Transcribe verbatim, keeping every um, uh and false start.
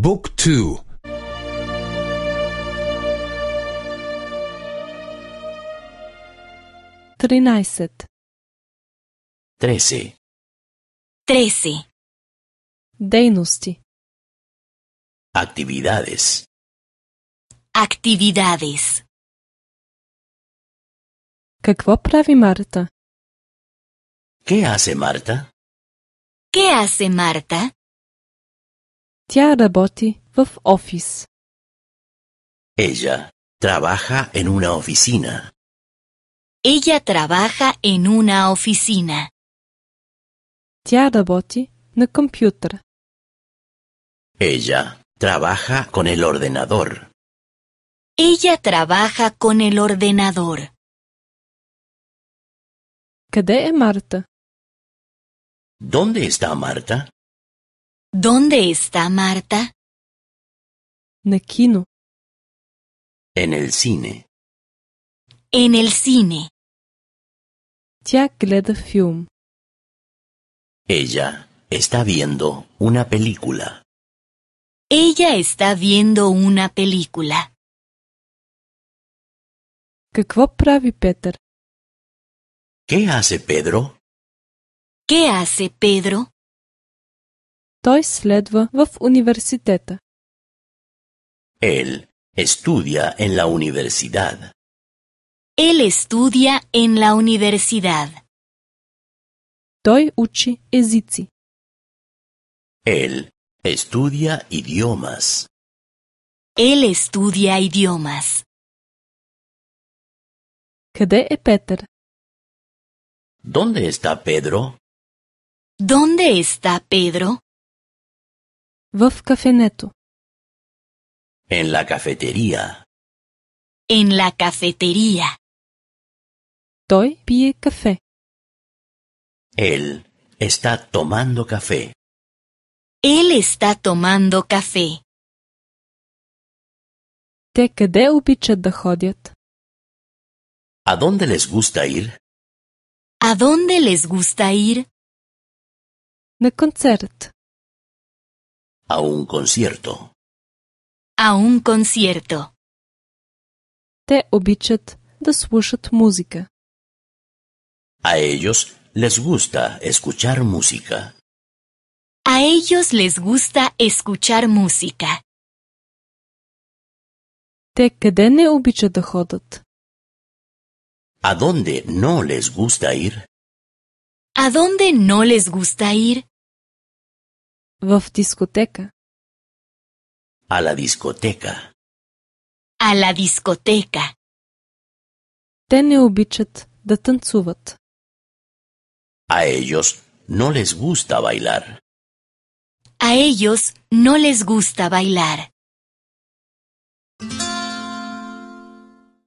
บุ๊กทูтринайсет Trece. Trece. дейности, Actividades. Actividades. какво прави Марта? ¿Qué hace Marta? ¿Qué hace Marta? Тя работи в офис. Ella trabaja en una oficina. Ella trabaja en una oficina. Тя работи на компютър. Ella trabaja con el ordenador. Ella trabaja con el ordenador. Къде е Марта? ¿Dónde está Marta? ¿Dónde está Marta? На кино. En el cine. En el cine. Тя гледа филм. Ella está viendo una película. Ella está viendo una película. Какво прави Петър? ¿Qué hace Pedro? ¿Qué hace Pedro? Той следва в университета. Él estudia en la universidad. Él estudia en la universidad. Той учи езици. Él estudia idiomas. Él estudia idiomas. Къде е Петър? ¿Dónde está Pedro? ¿Dónde está Pedro? В кафенето. En la cafetería. En la cafetería. Той пие кафе. Él está tomando café. Él está tomando café. Те къде обичат да ходят? ¿A dónde les gusta ir? ¿A dónde les gusta ir? На концерт. A un concierto. A un concierto. Те обичат да слушат музика. A ellos les gusta escuchar música. A ellos les gusta escuchar música. Те къде не обичат да ходят? ¿A dónde no les gusta ir? ¿A dónde no les gusta ir? В дискотека. A la discoteca. A la discoteca. Те не обичат да танцуват. A ellos no les gusta bailar. A ellos no les gusta bailar.